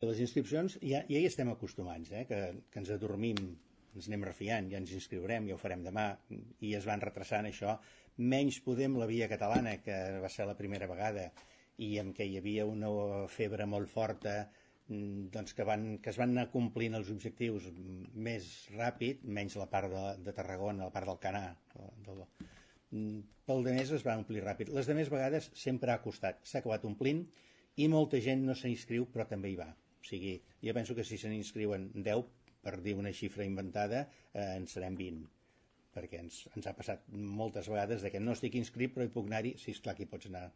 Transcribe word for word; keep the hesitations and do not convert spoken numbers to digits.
Les inscripcions ja, ja hi estem acostumats, eh? que, que ens adormim, ens anem refiant, ja ens inscriurem, ja ho farem demà, i es van retrasant això. Menys Podem, la via catalana, que va ser la primera vegada, i en què hi havia una febre molt forta, doncs que, van, que es van anar complint els objectius més ràpid, menys la part de, de Tarragona, la part del Canà. Del, pel de més es va omplir ràpid. Les de més vegades sempre ha costat, s'ha acabat omplint, i molta gent no s'inscriu, però també hi va. O sigui, jo penso que si se n'inscriuen deu, per dir una xifra inventada, eh, en serem vint, perquè ens, ens ha passat moltes vegades de que no estic inscrit però hi puc anar-hi, sí, esclar que hi pots anar,